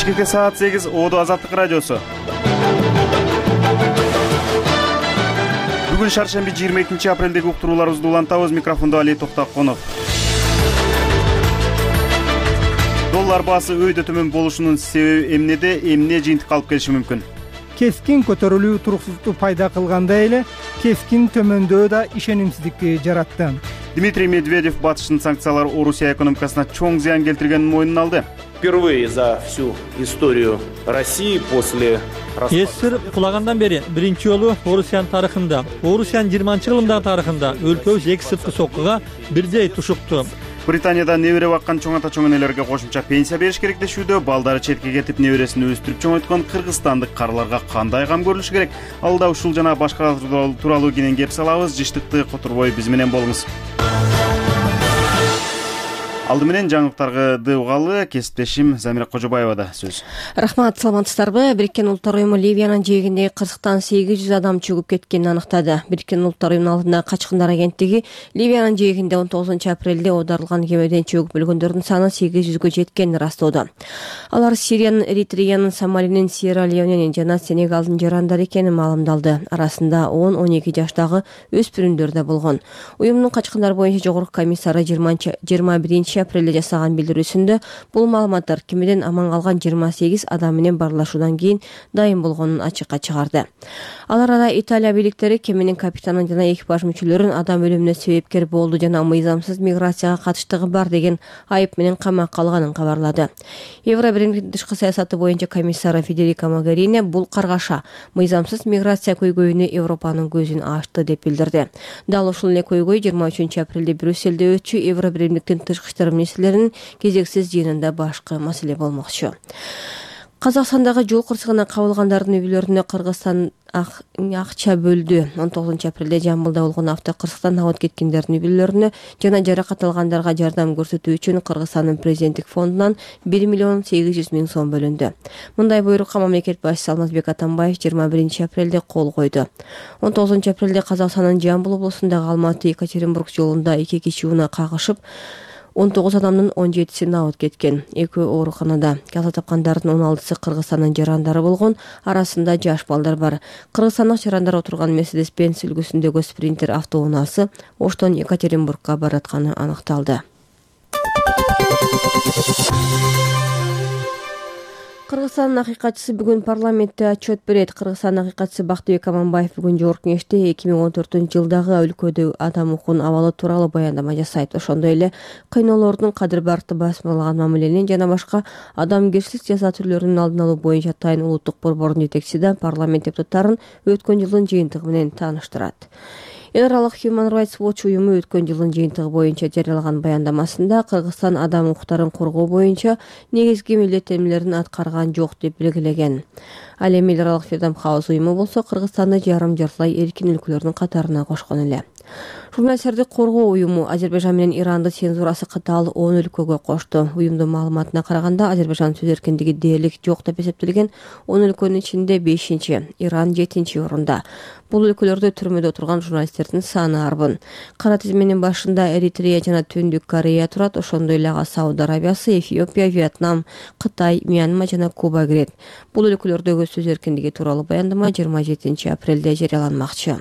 Бишкекте саат 8, Оодо Азаттык радиосу. Бүгүн шаршемби 22 апрелдеги уктурууларыбызды улантабыз. Микрофондо Али Токтоконов. Доллар баасы өйдө төмөн болушунун себеби эмнеде, эмне жыйынтыкка алып келиши мүмкүн? Кескин көтөрүлүү туруксуздукту пайда кылгандай эле кескин төмөндөө да ишенимсиздикти жаратты. Дмитрий Медведев батыштын санкциялары Орусия экономикасына чоң зыян келтиргенин мойнуна алды. Впервые за всю историю России после СССР кулагандан бери биринчи жолу Орусиянын тарыхында, Орусиянын 20-жылдагы тарыхында өлкөбүз эки сырткы соккуга бирдей тушукту. Британияда небере баккан чоң ата чоң энелерге кошумча пенсия бериш керек дешүүдө. Балдары четке кетип небересин өстүрүп чоңойткон кыргызстандык карыларга кандай кам көрүлүшү керек? Алда ушул жана башка тууралуу кенен кеп салабыз. Жыштыкты которбой биз менен болуңуз. Алды менен жаңылыктарды угалы, кесиптешим Замира Кожобаевада сөз. Рахмат, саламатсыздарбы? Бириккен Улуттар уюму Ливиянын жээгиндеги кырсыктан 800 адам чөгүп кеткенин аныктады. Бириккен Улуттар уюмунун алдындагы качкындар агенттиги Ливиянын жээгинде 19 апрелде оодарылган кемеден чөгүп өлгөндөрдүн саны 800гө жеткенин ырастоодо. Алар Сириянын, Эритреянын, Сомалинин, Сьерра-Леоненин жана Сенегалдын жарандары экени маалымдалды. Арасында 10-12 жаштагы өспүрүмдөр да болгон. Уюмдун качкындар боюнча жогорку комиссары 21 апрелде жасаган билдирүүсүндө бул маалыматтар кемеден аман калган 28 адам менен барлашуудан кийин дайым болгонун ачыкка чыгарды. Алар Италия бийликтери кеменин капитанын жана экипаж мүчөлөрүн адам өлүмүнө себепкер болду жана мыйзамсыз миграцияга катыштыгы бар деген айып менен камакка алганын кабарлады. Евробиримдин тышкы саясаты боюнча комиссары Федерика Могерини бул каргаша мыйзамсыз миграция көйгөйүнө Европанын көзүн ачты деп билдирди. Дал ушул эле көйгөй 23 апрелде Брюссельде өтчү Евробиримдиктин тышкы иштер министрлеринин кезексиз жыйынында башкы маселе болмокчу. Казакстандагы жол кырсыгына кабылгандардын үй бүлөлөрүнө Кыргызстан акча бөлдү. 19 апрелде Жамбылда болгон автокырсыктан абыт кеткендердин үй бүлөлөрүнө жана жаракат алгандарга жардам көрсөтүү үчүн Кыргызстандын президенттик фондунан 1 миллион 800 миң сом бөлүндү. Мындай буйрукка мамлекет башчысы Алмазбек Атамбаев 21 апрелде кол койду. 19 апрелде Казакстандын Жамбыл облусундагы Алматы-Екатеринбург жолунда 2 киши унаа кагышып 19 адамдын 17-си абыт кеткен. Экөө ооруканада. Каза тапкандардын 16-сы Кыргызстандын жарандары болгон, арасында жаш балдар бар. Кыргызстандык жарандар отурган Мерседес-Бенц үлгүсүндөгү спринтер автоунаасы Оштон Екатеринбургка баратканы аныкталды. Кыргызстандын акыйкатчысы бүгүн парламентте отчет берет. Кыргызстандын акыйкатчысы Бактыбек Аманбаев бүгүн жогорку кеңеште 2014-жылдагы өлкөдө адам укугунун абалы тууралуу баяндама жасайт. Ошондой эле кыйноолордун кадыр-баркты басмалаган мамиленин жана башка адамгерчилик жаза түрлөрүнүн алдын алуу боюнча атайын улуттук борбордун жетекчиси да парламент депутаттарын өткөн жылдын жыйынтыгы менен тааныштырат. Эл аралык Human Rights Watch уюму өткөн жылдын жыйынтыгы боюнча жарыялаган баяндамасында Кыргызстан адам укуктарын коргоо боюнча негизги милдеттенмелерин аткарган жок деп белгилеген. Ал эми эл аралык Freedom House уюму болсо Кыргызстанды жарым-жартылай эркин өлкөлөрдүн катарына кошкон эле. Журналисттерди коргоо уюму Азербайжан менен Иранды цензурасы катаал 10 өлкөгө кошту. Уюмдун маалыматына караганда Азербайжан сөз эркиндиги дээрлик жок деп эсептелген 10 өлкөнүн ичинде 5-чи, Иран 7-чи орунда. Бул өлкөлөрдө түрмөдө отурган журналисттердин саны арбын. Кара тизменин башында Эритрея жана Түндүк Корея турат, ошондой эле Сауд Арабиясы, Эфиопия, Вьетнам, Кытай, Мьянма жана Куба кирет. Бул өлкөлөрдөгү сөз эркиндиги тууралуу баяндама 27 апрелде жарыяланмакчы.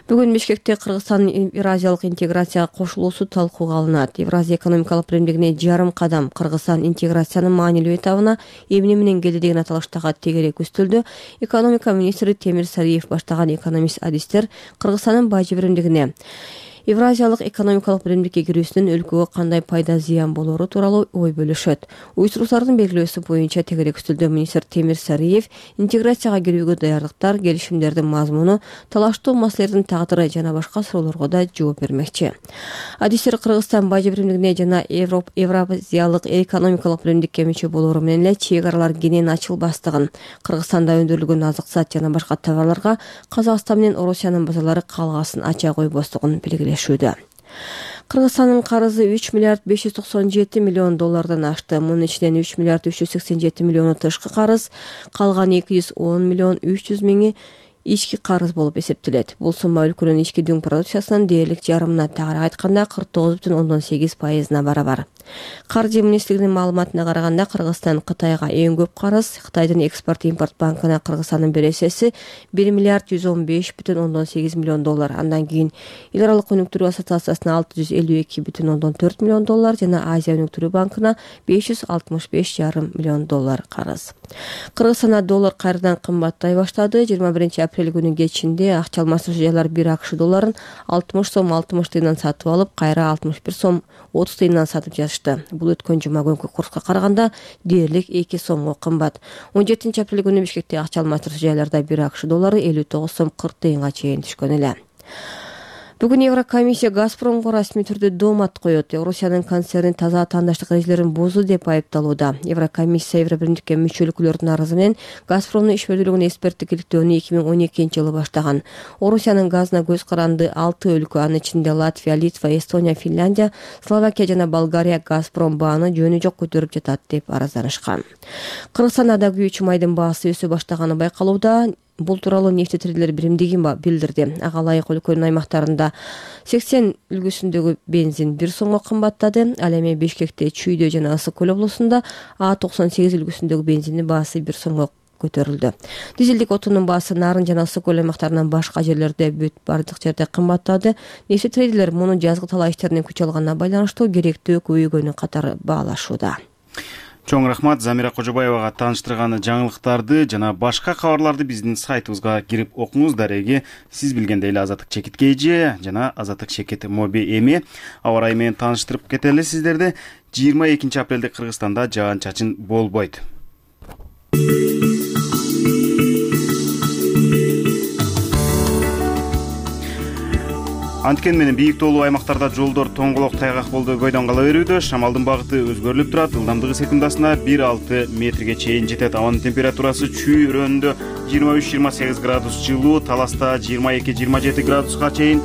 Бүгүн Бишкекте Кыргызстандын Евразиялык интеграцияга кошулуусу талкууга алынат. Евразия экономикалык биримдигине жарым кадам Кыргызстан интеграциянын маанилүү этабына эмне менен келди деген аталыштагы тегерек үстөлдө экономика министри Темир Сариев баштаган экономист-адистер Кыргызстандын бажы биримдигине Евразиялык экономикалык биримдикке кирүүсүнүн өлкөгө кандай пайда зыян болору тууралуу ой бөлүшөт. Уюштуруучулардын белгилөөсү боюнча тегерек үстөлдө министр Темир Сариев интеграцияга кирүүгө даярдыктар, келишимдердин мазмуну, талаштуу маселелердин тагдыры жана башка суроолорго да жооп бермекчи. Адистер Кыргызстан бажы биримдигине жана Евразиялык экономикалык биримдикке мүчө болору менен эле чек аралар кенен ачылбастыгын, Кыргызстанда өндүрүлгөн азык-саат жана башка товарларга Казакстан менен Орусиянын базарлары калгаасын ача койбостугун белгилешүүдө. Кыргызстандын карызы 3 миллиард 597 миллион доллардан ашты. Мунун ичинен 3 миллиард 387 миллиону тышкы карыз, калган 210 миллион 300 миңи ички карыз болуп эсептелет. Бул сумма өлкөнүн ички дүң продукциясынын дээрлик жарымына, тагыраак айтканда 49,8% барабар. Каржы министрлигинин маалыматына караганда Кыргызстан Кытайга эң көп карыз, Кытайдын экспорт-импорт банкына Кыргызстандын бересеси 1 миллиард 115,8 миллион доллар. Андан кийин эл аралык өнүктүрүү ассоциациясына 652,4 миллион доллар жана Азия өнүктүрүү банкына 565,5 миллион доллар карыз. Кыргызстанда доллар кайрадан кымбаттай баштады. 21 апрель күнү кечинде акча алмаштыруу жайлары 1 АКШ долларын 60 сом 60 тыйындан сатып алып, кайра 61 сом 30 тыйындан сатып жатышты. Бул өткөн жума күнкү курска караганда дээрлик 2 сомго кымбат. 17 апрель күнү Бишкекте акча алмаштыруу жайларда 1 АКШ доллары 59 сом 40 тыйынга чейин түшкөн эле. Бүгүн Еврокомиссия Газпромго расмий түрдө доомат коет. Орусиянын концерни таза атаандаштык эрежелерин бузду деп айыпталууда. Еврокомиссия Евробиримдикке мүчө өлкөлөрдүн арызы менен Газпромдун иш бөлүгүнүн эксперттик иликтөөнү 2012-жылы баштаган. Орусиянын газына көз каранды 6 өлкө, анын ичинде Латвия, Литва, Эстония, Финляндия, Словакия жана Болгария Газпром бааны жөнү жок көтөрүп жатат деп арызданышкан. Кыргызстанда да күйүүчү майдын баасы өсө баштаганы байкалууда. Бул тууралуу нефть-трейдерлер биримдиги билдирди. Ага ылайык өлкөнүн аймактарында 80 үлгүсүндөгү бензин 1 сомго кымбаттады. Ал эми Бишкекте, Чүйдө жана Ысык көл облусунда А98 үлгүсүндөгү бензиндин баасы 1 сомго көтөрүлдү. Дизелдик отундун баасы Нарын жана Ысык көл аймактарынан башка жерлерде бардык жерде кымбаттады. Нефть-трейдерлер муну жазгы талаа иштеринин күч алганына байланыштуу керектөө көбөйгөнү катары баалашууда. Чоң рахмат Замира Кожобаевага тааныштырган жаңылыктарды жана башка кабарларды биздин сайтыбызга кирип окуңуз. Дареги сиз билгендей эле Азаттык Чекит KG жана Азаттык Чекит Моби эми аба ырайы менен тааныштырып кетели сиздерди. 22 апрелде Кыргызстанда жаан-чачын болбойт. Анткен менен бийик тоолуу аймактарда жолдор тоңголок тайгак болду көйдөн кала берүүдө. Шамалдын багыты өзгөрүлүп турат. Ылдамдыгы секундасына 1-6 метрге чейин жетет. Абанын температурасы Чүй районунда 23-28 градус жылуу, Таласта 22-27 градуска чейин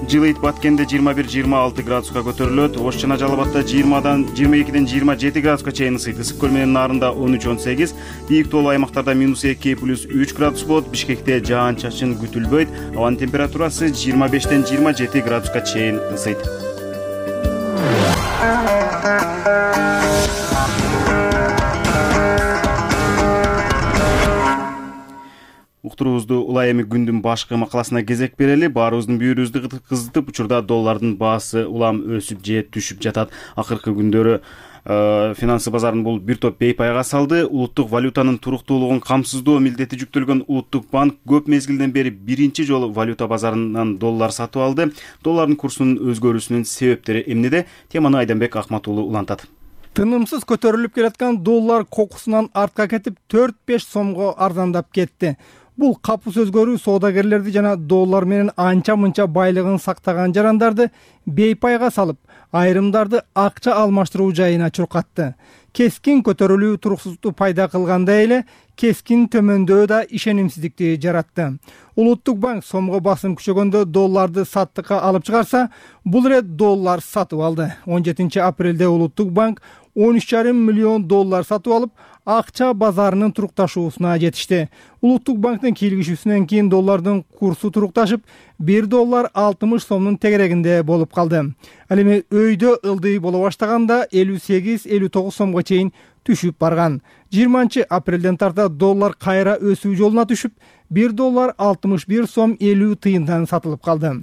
жылыйт. Баткенде 21-26 градуска көтөрүлөт. Ош жана Жалал Абадта 22-ден 27 градуска чейин ысыйт. Ысык көл менен Нарында 13-18, бийик тоолуу аймактарда -2+3 градус болот. Бишкекте жаан-чачын күтүлбөйт. Абанын температурасы 25-ден 27 градуска чейин ысыйт. Уктуруубузду улай эми күндүн башкы макаласына кезек берели. Баарыбыздын бүйүрүбүздү кызытып, учурда доллардын баасы улам өсүп же түшүп жатат. Акыркы күндөрү финансы базарын бул бир топ бейпайга салды. Улуттук валютанын туруктуулугун камсыздоо милдети жүктөлгөн Улуттук банк көп мезгилден бери биринчи жолу валюта базарынан доллар сатып алды. Доллардын курсунун өзгөрүүсүнүн себептери эмнеде? Теманы Айданбек Акматуулу улантат. Тынымсыз көтөрүлүп келаткан доллар кокусунан артка кетип 4-5 сомго арзандап кетти. Бул капыс өзгөрүү соодагерлерди жана доллар менен анча-мынча байлыгын сактаган жарандарды бейпайга салып, айрымдарды акча алмаштыруу жайына чуркатты. Кескин көтөрүлүү туруксуздукту пайда кылгандай эле, кескин төмөндөө да ишенимсиздикти жаратты. Улуттук банк сомго басым күчөгөндө долларды саттыкка алып чыгарса, бул ирет доллар сатып алды. 17 апрелде Улуттук банк 13,5 миллион доллар сатып алып, акча базарынын турукташуусуна жетишти. Улуттук банктын кийлигишүүсүнөн кийин доллардын курсу турукташып, 1 доллар 60 сомдун тегерегинде болуп калды. Ал эми өйдө ылдый боло баштаганда 58-59 сомго чейин түшүп барган. 20 апрелден тарта доллар кайра өсүү жолуна түшүп, 1 доллар 61 сом 50 тыйындан сатылып калды.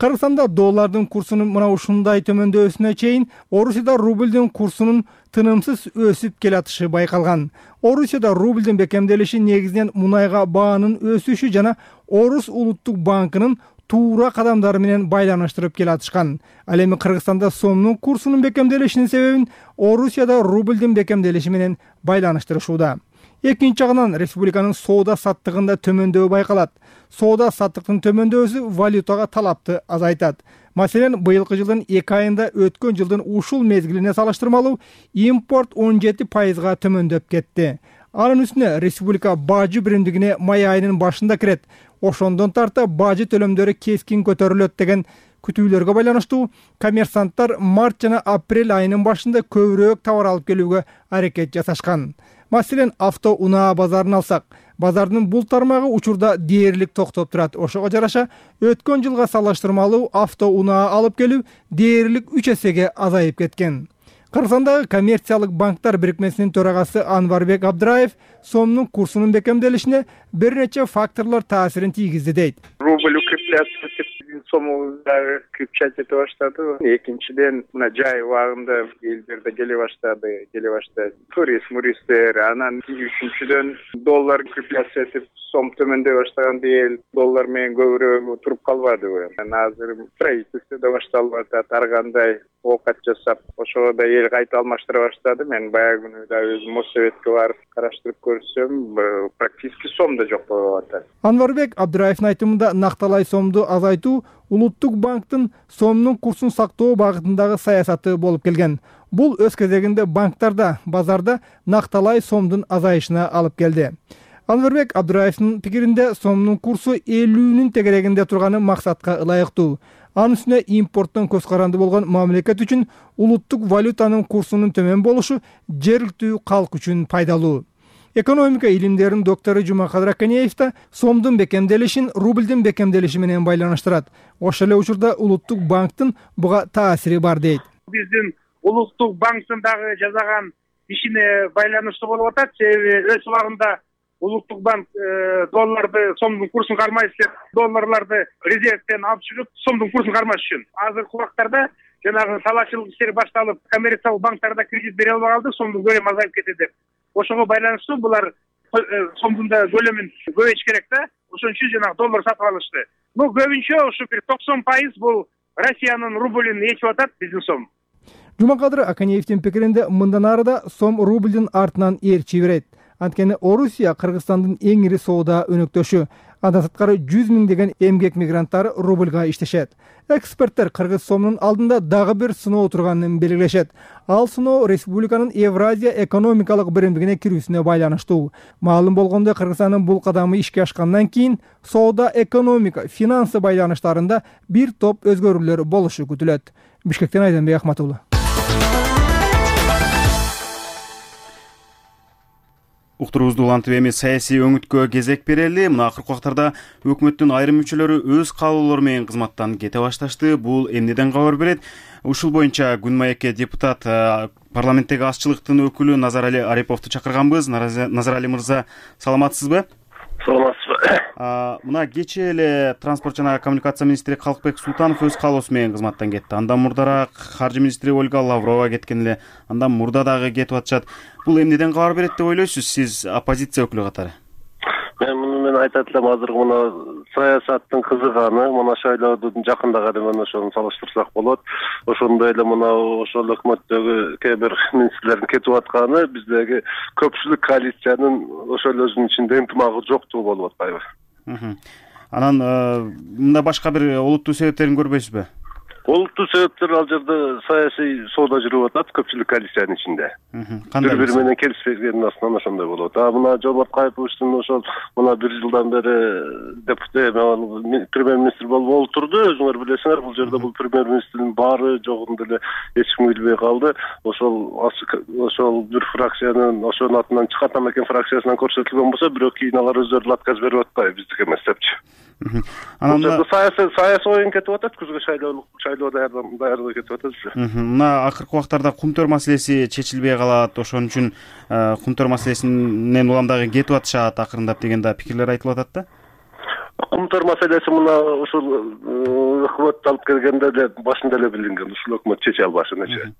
Кыргызстанда доллардын курсунун мына ушундай төмөндөсүнө чейин Орусияда рублдун курсунун тынымсыз өсүп келатышы байкалган. Орусияда рублдун бекемделиши негизинен мунайга баанын өсүшү жана Орус улуттук банкынын туура кадамдары менен байланыштырып келатышкан. Ал эми Кыргызстанда сомдун курсунун бекемделишинин себебин Орусияда рублдун бекемделиши менен байланыштырышууда. Экинчи жагынан республиканын соода саттыгында төмөндөө байкалат. Соода саттыктын төмөндөсү валютага талапты азайтат. Маселен, быйылкы жылдын 2 айында өткөн жылдын ушул мезгилине салыштырмалуу импорт 17%га төмөндөп кетти. Анын үстүнө республика бажы биримдигине май айынын башында кирет. Ошондон тарта бажы төлөмдөрү кескин көтөрүлөт деген күтүүлөргө байланыштуу коммерсанттар март жана апрель айынын башында көбүрөөк товар алып келүүгө аракет жасашкан. Маселен, авто унаа базарын алсак, Базардын бул тармагы учурда дээрлик токтоп турат. Ошого жараша өткөн жылга салыштырмалуу автоунаа алып келүү дээрлик 3 эсеге азайып кеткен. Кыргызстандагы коммерциялык банктар бирикмесинин төрагасы Анварбек Абдраев сомдун курсунун бекемделишине бир нече факторлор таасирин тийгизди дейт. Рубль укрепляться сому крепчать эте баштады. Экинчиден мына жай убагында элдерде келе баштады. Туристтер, анан үчүнчүдөн доллар крепляция этип сом төмөндөй баштаган эл доллар менен көбүрөөк туруп калбады. Азыр правительство да башталып атат, ар кандай оокат жасап, ошого да эл кайта алмаштыра баштады. Мен баягы күнү да өзүм Моссоветке барып караштырып көрсөм, практически сом да жок болуп атат. Анварбек Абдраевдин айтымында накталай сомду азайтуу Улуттук банктын сомдун курсун сактоо багытындагы саясаты болуп келген. Бул өз кезегинде банктарда, базарда накталай сомдун азайышына алып келди. Анварбек Абдраевдин пикиринде сомдун курсу 50-нин тегерегинде турганы максатка ылайыктуу. Анын үстүнө импорттон көз каранды болгон мамлекет үчүн улуттук валютанын курсунун төмөн болушу жергиликтүү калк үчүн пайдалуу. Экономика илимдеринин доктору Жумакадыр Аканеев да сомдун бекемделишин рубльдин бекемделиши менен байланыштырат. Ошол эле учурда Улуттук банктын буга таасири бар дейт. Биздин Улуттук банктын дагы жасаган ишине байланыштуу болуп атат. Себеби өз убагында Улуттук банк долларды сомдун курсун кармайт деп долларларды резервден алып чыгып сомдун курсун кармаш үчүн. Азыркы убактарда жанагы талаачылык иштери башталып, коммерциялык банктарда кредит бере албай калды, сомдун көлөмү азайып кетти деп. Ошого байланыштуу булар сомдун да көлөмүн көбөйтүш керек да. Ошон үчүн жанагы доллар сатып алышты. Көбүнчө ушу бир 90% бул Россиянын рублин ээчип атат, биздин сом. Жумакадыр Аканеевдин пикиринде мындан ары да сом рубльдин артынан ээрчи берет. Анткени Орусия Кыргызстандын эң ири соода өнөктөшү. Андан сырткары 100 миңдеген эмгек мигранттары рубльга иштешет. Эксперттер кыргыз сомунун алдында дагы бир сыноо турганын белгилешет. Ал сыноо республиканын Евразия экономикалык биримдигине кирүүсүнө байланыштуу. Маалым болгондой, Кыргызстандын бул кадамы ишке ашкандан кийин соода, экономика, финансы байланыштарында бир топ өзгөрүүлөр болушу күтүлөт. Бишкектен Айданбек Ахматулла. Уктуруубузду улантып эми саясий өңүткө кезек берели. Мына акыркы убактарда өкмөттүн айрым мүчөлөрү өз каалоолору менен кызматтан кете башташты. Бул эмнеден кабар берет? Ушул боюнча Күн маекке депутат парламенттеги азчылыктын өкүлү Назарали Ариповду чакырганбыз. Назарали мырза, саламатсызбы? Саламатсызбы. Мына кечээ эле транспорт жана коммуникация министри Калкбек Султанов өз каалоосу менен кызматтан кетти. Андан мурдараак каржы министри Ольга Лаврова кеткен эле. Андан мурда дагы кетип атышат. Бул эмнеден кабар берет деп ойлойсуз, сиз оппозиция өкүлү катары? Мен муну менен айтат элем, азыр мына саясаттын кызыганы, мына шайлоодун жакындаганы менен ошону салыштырсак болот. Ошондой эле мына ошол өкмөттөгү кээ бир министрлердин кетип атканы биздеги көпчүлүк коалициянын ошол өзүнүн ичинде ынтымагы жоктугу болуп атпайбы? Анан мында башка бир олуттуу себептерин көрбөйсүзбү? Олуттуу себептер ал жерде саясий соода жүрүп атат көпчүлүк коалициянын ичинде. Бири менен келишпегендин астынан ошондой болот. Мына Жомарт Кайыповичтин ошол мына бир жылдан бери премьер-министр болуп отурду. Өзүңөр билесиңер, бул жерде бул премьер-министрдин баары жогун деле эч ким билбей калды. Ошол бир фракциянын ошонун атынан чыкатам экен фракциясынан көрсөтүлгөн болсо, бирок кийин алар өздөрү отказ берип атпайбы, биздики эмес депчи. Анан саясий оюн кетип атат, күзгө шайлоо даярдыгы кетип атат. Мына акыркы убактарда кумтөр маселеси чечилбей калат, ошон үчүн кумтөр маселесинен улам дагы кетип атышат акырындап деген да пикирлер айтылып атат да. Кумтөр маселеси мына ушул өкмөт алып келгенде эле башында эле билинген, ушул өкмөт чече албашын эче.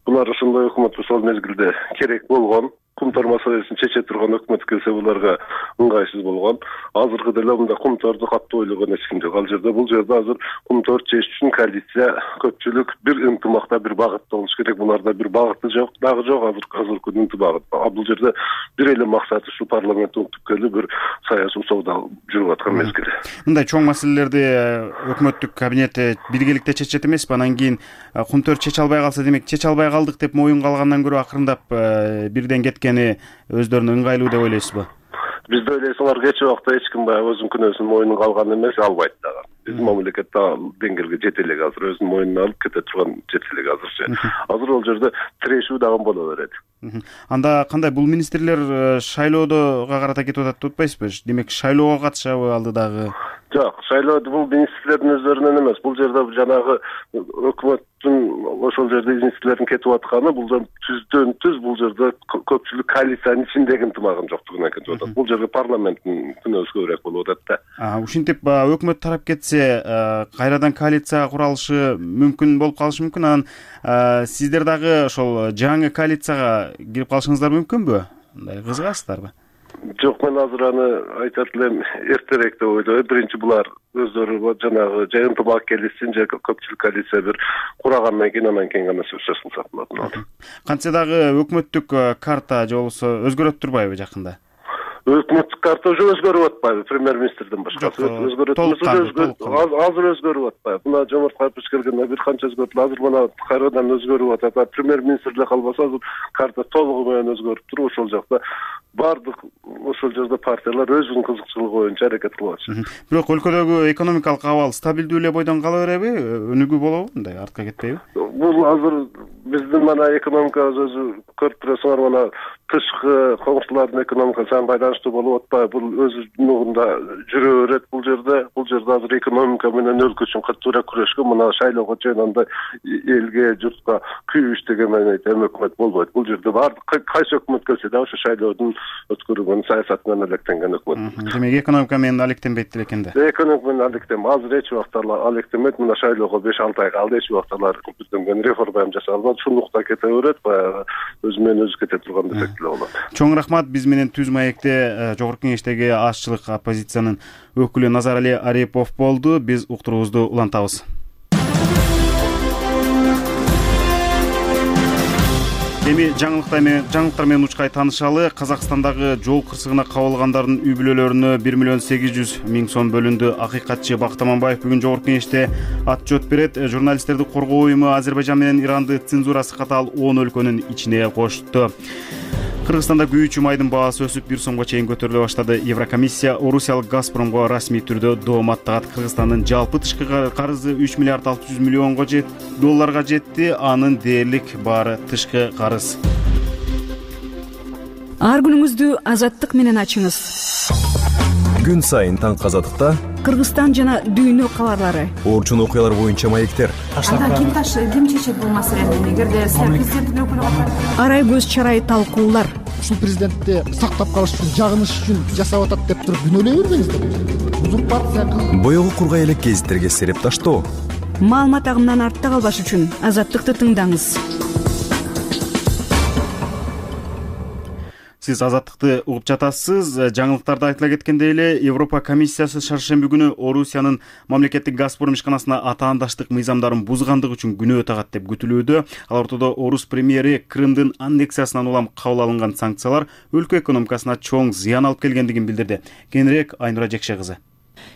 Булар ошондой өкмөт ошол мезгилде керек болгон. Кумтөр маселесин чече турган өкмөт келсе буларга ыңгайсыз болгон. Азыркы деле мында кумторду катуу ойлогон эч ким жок. Ал жерде бул жерде азыр кумтор чечиш үчүн коалиция көпчүлүк бир ынтымакта, бир багытта болуш керек. Буларда бир багыты жок, дагы жок азыркы ынтымак. Бул жерде бир эле максаты ушу парламентте өтүп бир саясий соода жүрүп аткан мезгил. Мындай чоң маселелерди өкмөттүк кабинет биргеликте чечет эмеспи? Анан кийин кумтөр чече албай калса, демек чече албай калдык деп моюнга алгандан көрө акырындап бирден кеткени өздөрүнө ыңгайлуу деп ойлойсузбу? Бизде ойлойсуңар, кечээ убакта эч ким баягы өзүнүн күнөөсүн мойнуна алган эмес, албайт дагы. Биздин мамлекетте деңгээлге жете элек азыр, өзүнүн мойнуна алып кете турган жете элек азырчы. Азыр ал жерде тирешүү дагы боло берет. Анда кандай бул министрлер шайлоого карата кетип атат деп атпайсызбы? Демек шайлоого катышабы алдыдагы? Жок, шайлоодо бул министрлердин өздөрүнөн эмес. Бул жерде жанагы өкмөттүн ошол жерде министрлердин кетип атканы бул түздөн түз бул жерде көпчүлүк коалициянын ичиндеги ынтымагын жоктугунан кетип атат. Бул жерде парламенттин күнөөсү көбүрөөк болуп атат да. Ушинтип өкмөт тарап кетсе, кайрадан коалиция куралышы мүмкүн болуп калышы мүмкүн. Анан сиздер дагы ошол жаңы коалицияга кирип калышыңыздар мүмкүнбү? Мындай кызыгасыздарбы? Жок, мен азыр аны айтат элем, эртерээк деп ойлойм. Биринчи булар өздөрү жанагы же ынтымак келишсин, же көпчүлүк коалиция бир курагандан кийин анан кийин гана сөз кылсак болот. Кантсе дагы өкмөттүк карта же болбосо өзгөрөт турбайбы жакында? Өкмөттүк карта уже өзгөрүп атпайбы, премьер-министрдин башкасы өзгөрөт азыр өзгөрүп атпайбы. Мына Жомарт Капыш келгенде бир канча өзгөртүлдү, азыр мына кайрадан өзгөрүп атат. Премьер-министр эле калбаса, азыр карта толугу менен өзгөрүп туруп, ошол жакта бардык ошол жерде партиялар өзүнүн кызыкчылыгы боюнча аракет кылып атышат. Бирок өлкөдөгү экономикалык абал стабилдүү эле бойдон кала береби? Өнүгүү болобу? Мындай артка кетпейби? Бул азыр биздин мана экономикабыз өзү көрүп турасыңар, мана тышкы коңшулардын экономикасы байланыштуу болуп атпайбы? Бул өз нугунда жүрө берет бул жерде. Бул жерде азыр экономика менен өлкө үчүн катуураак күрөшкөн, мына шайлоого чейин андай элге, журтка күйүш деген менен өкмөт болбойт. Бул жерде баардык кайсы өкмөт келсе да ошо шайлоодун өткөрүлгөн саясатынан алектенген өкмөт. Демек экономика менен алектенбейт эле экен да. Экономика менен алектенбейт. Азыр эч убакта алектенбейт. Мына шайлоого 5-6 ай калды, эч убакта алар көздөнгөн реформа жасалбады. Шундукта кете берет, баягы өзү менен өзү кете турган десек деле болот. Чоң рахмат. Биз менен Түз маекте Жогорку Кеңештеги Ашчылык оппозициянын өкүлү Назарали Арипов болду. Биз уктуруубузду улантабыз. Эми жаңылыктар менен учкай таанышалы. Казакстандагы жол кырсыгына кабылгандардын үй бүлөлөрүнө 1,8 миллион сом бөлүндү. Акыйкатчы Бакыт Аманбаев бүгүн Жогорку Кеңеште отчет берет. Журналисттерди коргоо уюму Азербайжан менен Иранды цензурасы катаал 10 өлкөнүн ичине кошту. Кыргызстанда күйүүчү майдын баасы өсүп 1 сомго чейин көтөрүлө баштады. Еврокомиссия орусиялык Газпромго расмий түрдө доом аттагат. Кыргызстандын жалпы тышкы карызы 3 миллиард 600 миллионго долларга жетти. Анын дээрлик баары тышкы карыз. Ар күнүңүздү азаттык менен ачыңыз. Күн сайын таңкы азаттыкта Кыргызстан жана дүйнө кабарлары. Орчун окуялар боюнча маектер. Ким чечет бул маселени? Эгерде президенттин өкүлү арай көз чарай талкуулар. Ушул президентти сактап калыш үчүн, жагыныш үчүн жасап атат деп туруп күнөөлөй бербеңиздер. Узурпация кылып Боёгу кургай элек гезиттерге сереп таштоо. Маалымат агымынан артта калбаш үчүн азаттыкты тыңдаңыз. Сиз азаттыкты угуп жатасыз. Жаңылыктарда айтыла кеткендей эле, Европа комиссиясы шаршемби күнү Орусиянын мамлекеттик Газпром ишканасына атаандаштык мыйзамдарын бузгандыгы үчүн күнөө тагат деп күтүлүүдө. Ал ортодо Орус премьери Крымдын аннексиясынан улам кабыл алынган санкциялар өлкө экономикасына чоң зыян алып келгендигин билдирди. Кенирээк Айнура Жекше кызы.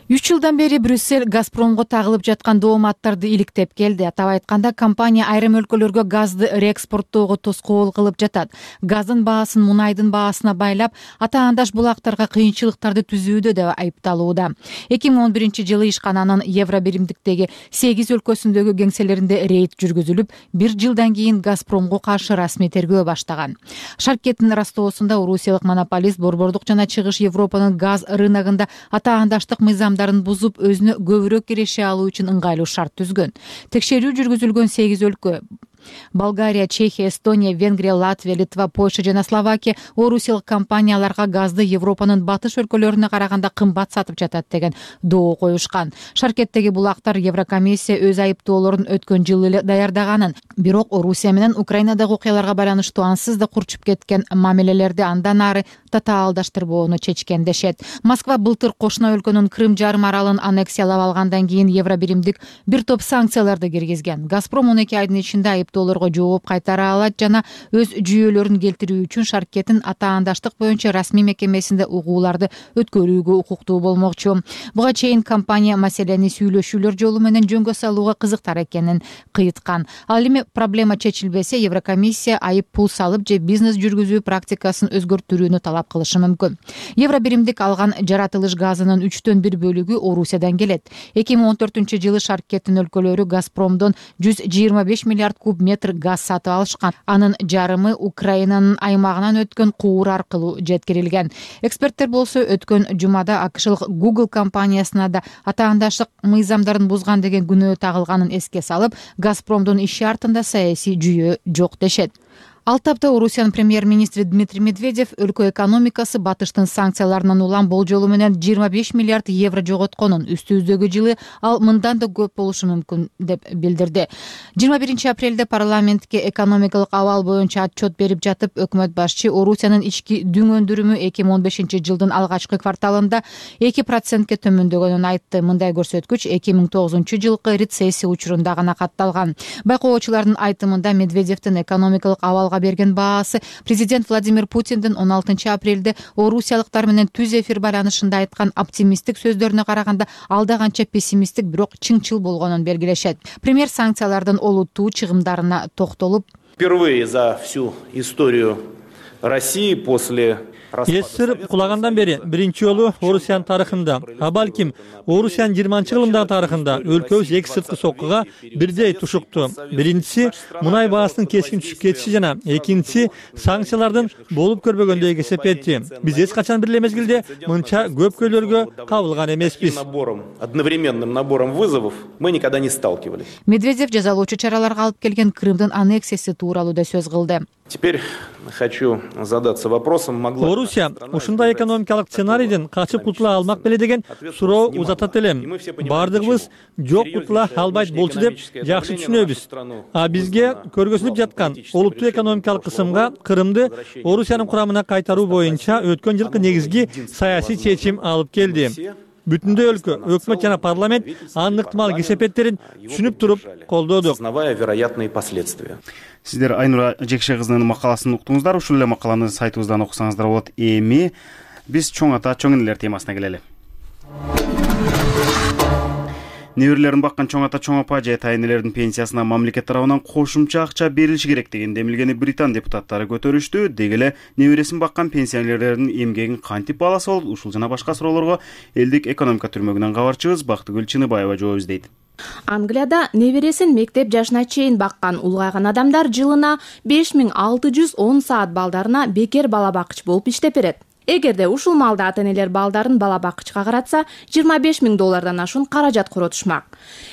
3 жылдан бери Брюссель Газпромго тагылып жаткан дооматтарды иликтеп келди. Атап айтканда, компания айрым өлкөлөргө газды реэкспорттоого тоскоол кылып жатат. Газдын баасын мунайдын баасына байлап, атаандаш булактарга кыйынчылыктарды түзүүдө деп айыпталууда. 2011 жылы ишкананын евро биримдиктеги 8 өлкөсүндөгү кеңселеринде рейд жүргүзүлүп, 1 жылдан кийин Газпромго каршы расмий тергөө баштаган. Шаркеттин растоосунда орусиялык монополист борбордук жана чыгыш Европанын газ рыногунда атаандаштык мыйзамдарын бузуп, өзүнө көбүрөөк киреше алуу үчүн ыңгайлуу шарт түзгөн. Текшерүү жүргүзүлгөн 8 өлкө Болгария, Чехия, Эстония, Венгрия, Латвия, Литва, Польша жана Словакия орусиялык компанияларга газды Европанын батыш өлкөлөрүнө караганда кымбат сатып жатат деген доо коюшкан. Шаркеттеги булактар Еврокомиссия өз айыптоолорун өткөн жылы эле даярдаганын, бирок Орусия менен Украинадагы окуяларга байланыштуу ансыз да курчуп кеткен мамилелерди андан ары татаалдаштырбоону чечкен дешет. Москва былтыр кошуна өлкөнүн Крым жарым аралын аннексиялап алгандан кийин евро биримдик бир топ санкцияларды киргизген. Газпром 12 айдын ичинде айыптоолорго жооп кайтара алат жана өз жүйөлөрүн келтирүү үчүн шаркеттин атаандаштык боюнча расмий мекемесинде угууларды өткөрүүгө укуктуу болмокчу. Буга чейин компания маселени сүйлөшүүлөр жолу менен жөнгө салууга кызыктар экенин кыйыткан. Ал эми проблема чечилбесе, Еврокомиссия айып пул салып же бизнес жүргүзүү практикасын өзгөртүүнү талап кылышы мүмкүн. Евро биримдик алган жаратылыш газынын 1/3 бөлүгү Орусиядан келет. 2014-жылы Шарк Кетин өлкөлөрү Газпромдон 125 миллиард куб метр газ сатып алышкан. Анын жарымы Украинанын аймагынан өткөн куур аркылуу жеткирилген. Эксперттер болсо өткөн жумада АКШлык Google компаниясына да атаандаштык мыйзамдарын бузган деген күнөө тагылганын эске салып, Газпромдун иши артында саясий жүйөө жок дешет. Ал тапта Орусиянын премьер-министри Дмитрий Медведев өлкө экономикасы батыштын санкцияларынан улам болжолу менен 25 миллиард евро жоготконун, үстүбүздөгү жылы ал мындан да көп болушу мүмкүн деп билдирди. 21 апрелде парламентке экономикалык абал боюнча отчет берип жатып, өкмөт башчы Орусиянын ички дүң өндүрүмү 2015-жылдын алгачкы кварталында 2%ке төмөндөгөнүн айтты. Мындай көрсөткүч 2009-жылкы рецессия учурунда гана катталган. Байкоочулардын айтымында Медведевдин экономикалык абалга берген баасы президент Владимир Путиндин 16 апрелде орусиялыктар менен түз эфир байланышында айткан оптимисттик сөздөрүнө караганда алда канча пессимисттик, бирок чыңчыл болгонун белгилешет. Премьер санкциялардын олуттуу чыгымдарына токтолуп, впервые за всю историю России после Эсир кулагандан бери биринчи жолу Орусиянын тарыхында, а балким Орусиянын 20-жылдагы тарыхында өлкөбүз эки сырткы соккуга бирдей тушукту. Биринчиси мунай баасынын кескин түшүп кетиши жана экинчиси санкциялардын болуп көрбөгөндөйгө эсептети. Биз эч качан бир эле мезгилде мынча көп көйлөргө кабылган эмеспиз. Одновременным набором вызовов мы никогда не сталкивались. Медведев жазалоочу чараларга алып келген Крымдын аннексиясы тууралуу да сөз кылды. Теперь хочу задаться вопросом, могла Орусия ушундай экономикалык сценарийден качып кутула алмак беле деген суроо узатат элем. Бардыгыбыз жок кутула албайт болчу деп жакшы түшүнөбүз. А бизге көргөзүлүп жаткан олуттуу экономикалык кысымга Крымды Орусиянын курамына кайтаруу боюнча өткөн жылкы негизги саясий чечим алып келди. Бүтүндөй өлкө, өкмөт жана парламент анын ыктымал кесепеттерин түшүнүп туруп колдоду. Осознавая вероятные последствия. Сиздер Айнура Жекше кызынын макаласын уктуңуздар. Ушул эле макаланы сайтыбыздан окусаңыздар болот. Эми биз чоң ата чоң энелер темасына келели. Неберелерин баккан чоң ата чоң апа же тайнелердин пенсиясына мамлекет тарабынан кошумча акча берилиши керек деген демилгени Британ депутаттары көтөрүштү. Деги эле небересин баккан пенсионерлердин эмгегин кантип бааласа болот? Ушул жана башка суроолорго элдик экономика түрмөгүнөн кабарчыбыз Бактыгүл Чыныбаева жооп издейт. Англияда небересин мектеп жашына чейин баккан улгайган адамдар жылына 5610 саат балдарына бекер бала бакчы болуп иштеп берет. Эгерде ушул маалда ата-энелер балдарын бала бакчыга каратса, $25,000 ашуун каражат коротушмак.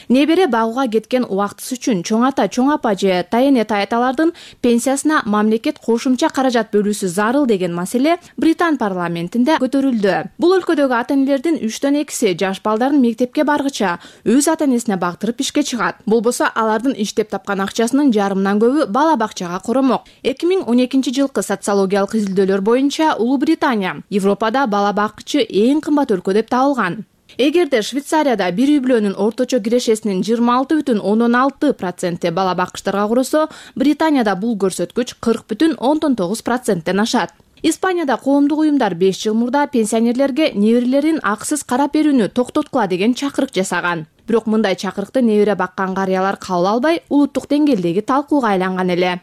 Небере багууга кеткен убактысы үчүн чоң ата, чоң апа же тайэне таяталардын пенсиясына мамлекет кошумча каражат бөлүүсү зарыл деген маселе Британ парламентинде көтөрүлдү. Бул өлкөдөгү ата-энелердин 3/2 жаш балдарын мектепке баргыча өз ата-энесине бактырып ишке чыгат. Болбосо алардын иштеп тапкан акчасынын жарымынан көбү бала бакчага коромок. 2012-жылкы социологиялык изилдөөлөр боюнча Улуу Британия Европада бала бакчы эң кымбат өлкө деп табылган. Эгерде Швейцарияда бир үй бүлөнүн орточо кирешесинин 26,16% бала бакчтарга куросо, Британияда бул көрсөткүч 40,9%тен ашат. Испанияда коомдук уюмдар 5 жыл мурда пенсионерлерге неберелерин акысыз карап берүүнү токтоткула деген чакырык жасаган. Бирок мындай чакырыкты небере баккан карыялар кабыл албай, улуттук деңгээлдеги талкууга айланган эле.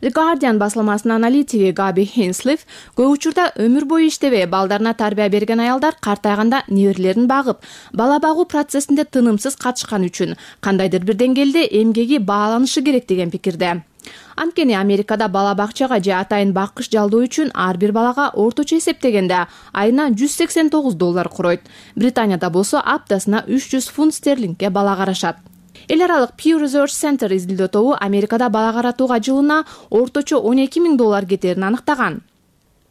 The Guardian басылмасынын аналитиги Габи Хенслиф көп учурда өмүр бою иштебей балдарына тарбия берген аялдар картайганда неберелерин багып, бала багуу процессинде тынымсыз катышкан үчүн кандайдыр бир деңгээлде эмгеги бааланышы керек деген пикирде. Анткени Америкада бала бакчага же атайын баккыч жалдоо үчүн ар бир балага орточо эсептегенде айына $189 куройт. Британияда болсо аптасына 300 фунт стерлингке бала карашат. Эл аралык Pew Research Center изилдөө тобу Америкада бала каратууга жылына орточо $12,000 кетерин аныктаган.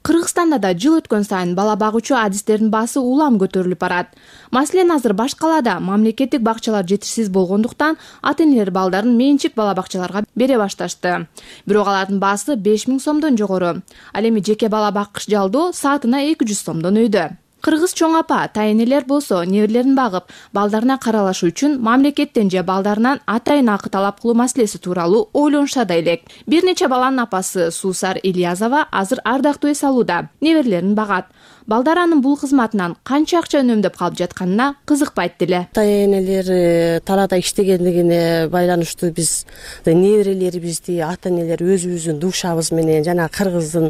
Кыргызстанда да жыл өткөн сайын бала багуучу адистердин баасы улам көтөрүлүп барат. Маселен, азыр баш калаада мамлекеттик бакчалар жетишсиз болгондуктан ата-энелер балдарын менчик бала бакчаларга бере башташты. Бирок алардын баасы 5.000 сомдон жогору. Ал эми жеке бала баккыч жалдоо саатына 200 сомдон өйдө. Кыргыз чоң апа, тайэнелер болсо неберелерин багып, балдарына каралашы үчүн мамлекеттен же балдарынан атайын акы талап кылуу маселеси тууралуу ойлонушат элек. Бир нече баланын апасы Суусар Ильязова азыр ардактуу эс алууда, неберелерин багат. Балдар анын бул кызматынан канча акча үнөмдөп калып жатканына кызыкпайт деле. Ата энелер талаада иштегендигине байланыштуу биз неберелерибизди ата энелер өзүбүздүн душабыз менен жана кыргыздын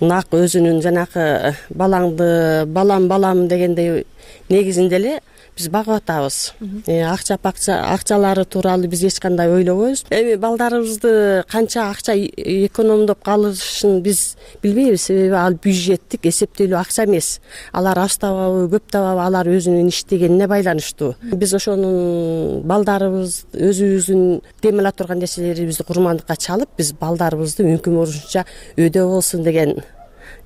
нак өзүнүн жанакы балам дегендей негизинде эле биз багып атабыз. Акчалары тууралуу биз эч кандай ойлобойбуз. Эми балдарыбызды канча акча экономдоп калышын биз билбейбиз, себеби ал бюджеттик эсептелүү акча эмес. Алар аз табабы, көп табабы, алар өзүнүн иштегенине байланыштуу. Биз ошонун балдарыбыз өзүбүздүн демеле турган нерселерибизди курмандыкка чалып, биз балдарыбызды мүмкүн болушунча өйдө болсун деген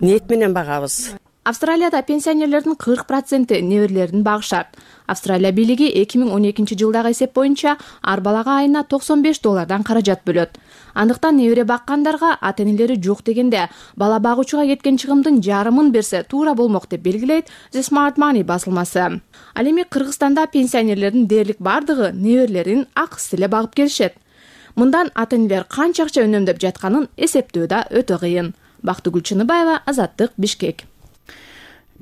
ниет менен багабыз. Австралияда пенсионерлердин 40% неберелерин багышат. Австралия бийлиги 2012-жылдагы эсеп боюнча ар балага айына $95 каражат бөлөт. Андыктан небере баккандарга ата энелери жок дегенде бала багуучуга кеткен чыгымдын жарымын берсе туура болмок деп белгилейт The Smart Money басылмасы. Ал эми Кыргызстанда пенсионерлердин дээрлик бардыгы неберелерин акысыз эле багып келишет. Мындан ата энелер канча акча үнөмдөп жатканын эсептөө да өтө кыйын. Бактыгүл Чыныбаева, Азаттык, Бишкек.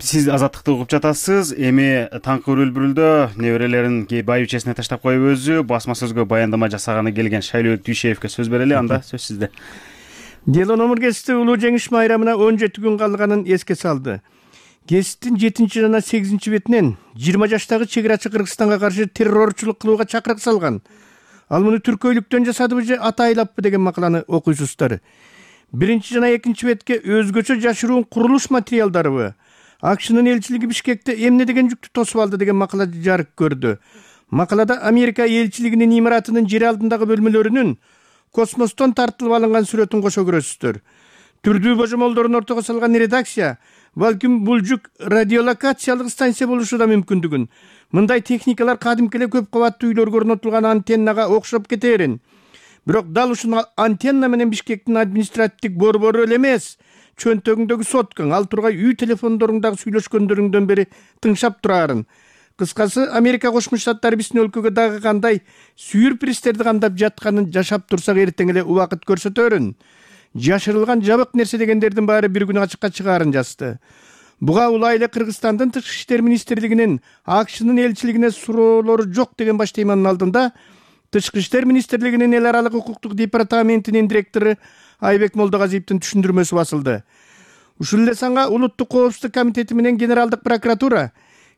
Сиз Азаттыкты угуп жатасыз. Эми таңкы өрүлбүрүлдө неберелерин байбичесине таштап коюп өзү басма сөзгө баяндама жасаганы келген Шайлообек Дүйшеевке сөз берели. Анда сөз сизде. Дело номер кести улуу жеңиш майрамына 17 күн калганын эске салды. Кеситтин 7 жана 8 бетинен 20 жаштагы чегирачы Кыргызстанга каршы террорчулук кылууга чакырык салган. Ал муну түркөйлүктөн жасадыбы же ата айлаппы деген макаланы окуйсуздар. 1 жана 2 бетке өзгөчө жашыруун курулуш материалдарыбы, АКШнын элчилиги Бишкекте эмне деген жүктү тосуп алды деген макала жарык көрдү. Макалада Америка элчилигинин имаратынын жер алдындагы бөлмөлөрүнүн космостон тартылып алынган сүрөтүн кошо көрөсүздөр. Түрдүү божомолдорун ортого салган редакция балким бул жүк радиолокациялык станция болушу да мүмкүндүгүн. Мындай техникалар кадимки эле көп кабаттуу үйлөргө орнотулган антеннага окшоп кетерин. Бирок дал ушул антенна менен Бишкектин административдик борбору эле эмес, чөнтөгүңдөгү соткаң, ал тургай үй телефондоруңдагы сүйлөшкөндөрүңдөн бери тыңшап турарын. Кыскасы, Америка Кошмо Штаттары биздин өлкөгө дагы кандай сюрпризтерди камдап жатканын жашап турсак эртең эле убакыт көрсөтөрүн. Жашырылган жабык нерсе дегендердин баары бир күн ачыкка чыгаарын жазды. Буга улай эле Кыргызстандын Тышкы иштер министрлигинин АКШнын элчилигине суроолору жок деген баш теманын алдында Тышкы иштер министрлигинин эл аралык укуктук департаментинин директору Айбек Молдогазиевдин түшүндүрмөсү басылды. Ушул эле санга Улуттук коопсуздук комитети менен Генералдык прокуратура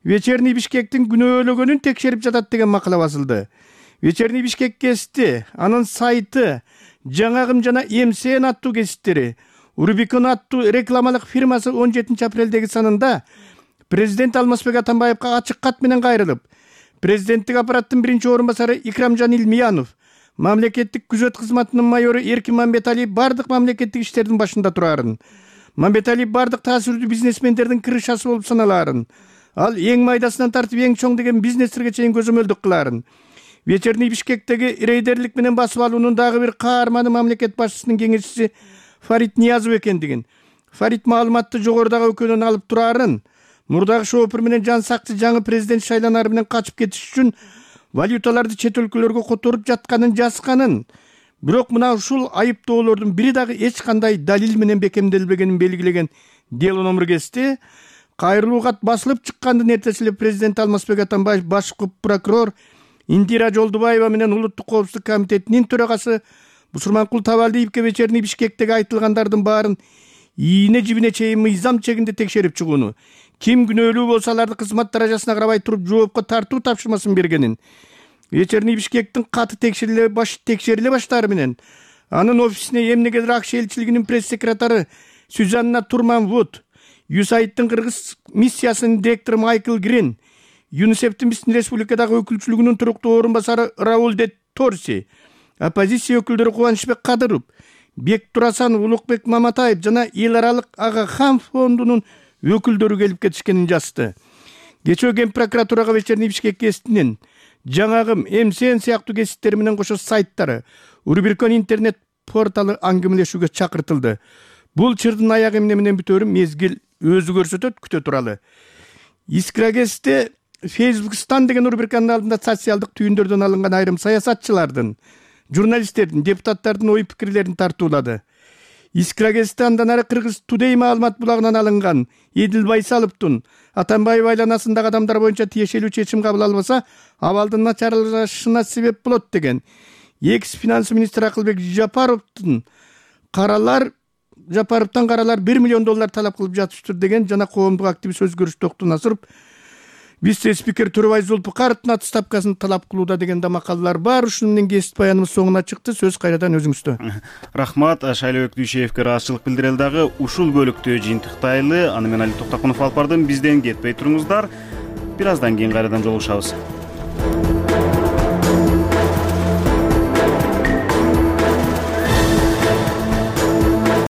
Вечерний Бишкектин күнөөлөгөнүн текшерип жатат деген макала басылды. Вечерний Бишкек гезити, анын сайты, Жаңагым жана МСН аттуу гезиттери, Рубикон аттуу рекламалык фирмасы 17 апрелдеги санында президент Алмазбек Атамбаевга ачык кат менен кайрылып, президенттик аппараттын биринчи орун басары Икрамжан Илмиянов, мамлекеттик күзөт кызматынын майору Эркин Мамбеталиев бардык мамлекеттик иштердин башында турарын. Мамбеталиев бардык таасирдүү бизнесмендердин крышасы болуп саналарын. Ал эң майдасынан тартып эң чоң деген бизнестерге чейин көзөмөлдүк кыларын. Вечерний Бишкектеги рейдерлик менен басып алуунун дагы бир каарманы мамлекет башчысынын кеңешчиси Фарид Ниязов экендигин. Фарид маалыматты жогорудагы өкөнөн алып турарын. Мурдагы шоопур менен жан сакчы жаңы президент шайланары менен качып кетиш үчүн валюталарды чет өлкөлөргө которуп жатканын жазганын. Бирок мына ушул айыптоолордун бири дагы эч кандай далил менен бекемделбегенин белгилеген дело номер кести. Кайрылуу кат басылып чыккандын эртеси эле президент Алмазбек Атамбаев, баш прокурор Индира Жолдубаева менен Улуттук коопсуздук комитетинин төрагасы Бусурманкул Табалдиевке Вечерний Бишкектеги айтылгандардын баарын ийине жибине чейин мыйзам чегинде текшерип чыгууну, ким күнөөлүү болсо аларды кызмат даражасына карабай туруп жоопко тартуу тапшырмасын бергенин, Вечерний Бишкектин каты текшериле баштаары менен анын офисине эмнегедир АКШ элчилигинин пресс-секретары Сюзанна Турман-Вуд, ЮСАИДтын кыргыз миссиясынын директору Майкл Грин, ЮНИСЕФтин биздин республикадагы өкүлчүлүгүнүн туруктуу орун басары Рауль де Торси, оппозиция өкүлдөрү Кубанычбек Кадыров, Бек Турасан, Улукбек Маматаев жана эл аралык Ага Хан фондунун өкүлдөрү келип кетишкенин жазды. Кечээ Ген прокуратурага Вечерний Бишкек гезитинин Жаңагым, МСН сыяктуу гезиттери менен кошо сайттары, Рубикон интернет порталы аңгемелешүүгө чакыртылды. Бул чырдын аягы эмне менен бүтөөрүн мезгил өзү көрсөтөт, күтө туралы. Искра гезити Фейсбукстан деген рубриканын алдында социалдык түйүндөрдөн алынган айрым саясатчылардын, журналисттердин, депутаттардын ой пикирлерин тартуулады. Искра гезити андан ары Кыргыз Today маалымат булагынан алынган. Эдил Байсаловдун Атамбаев айланасындагы адамдар боюнча тиешелүү чечим кабыл албаса, абалдын начарлашына себеп болот деген. Экс-финанс министри Акылбек Жапаровтан каралар $1 миллион талап кылып жатышты деген жана коомдук активист Өзгөрүш Токтун Насыров вице-спикер Турбай Зулпукаровдун отставкасын талап кылууда деген да макалалар бар. Ушуну менен кесип баяныбыз соңуна чыкты. Сөз кайрадан өзүңүздө. Рахмат. Шайлообек Дүйшеевке ыраазычылык билдирели дагы ушул бөлүктө жыйынтыктайлы. Аны менен Али Токтокунов алып бардым. Бизден кетпей туруңуздар. Бир аздан кийин кайрадан жолугушабыз.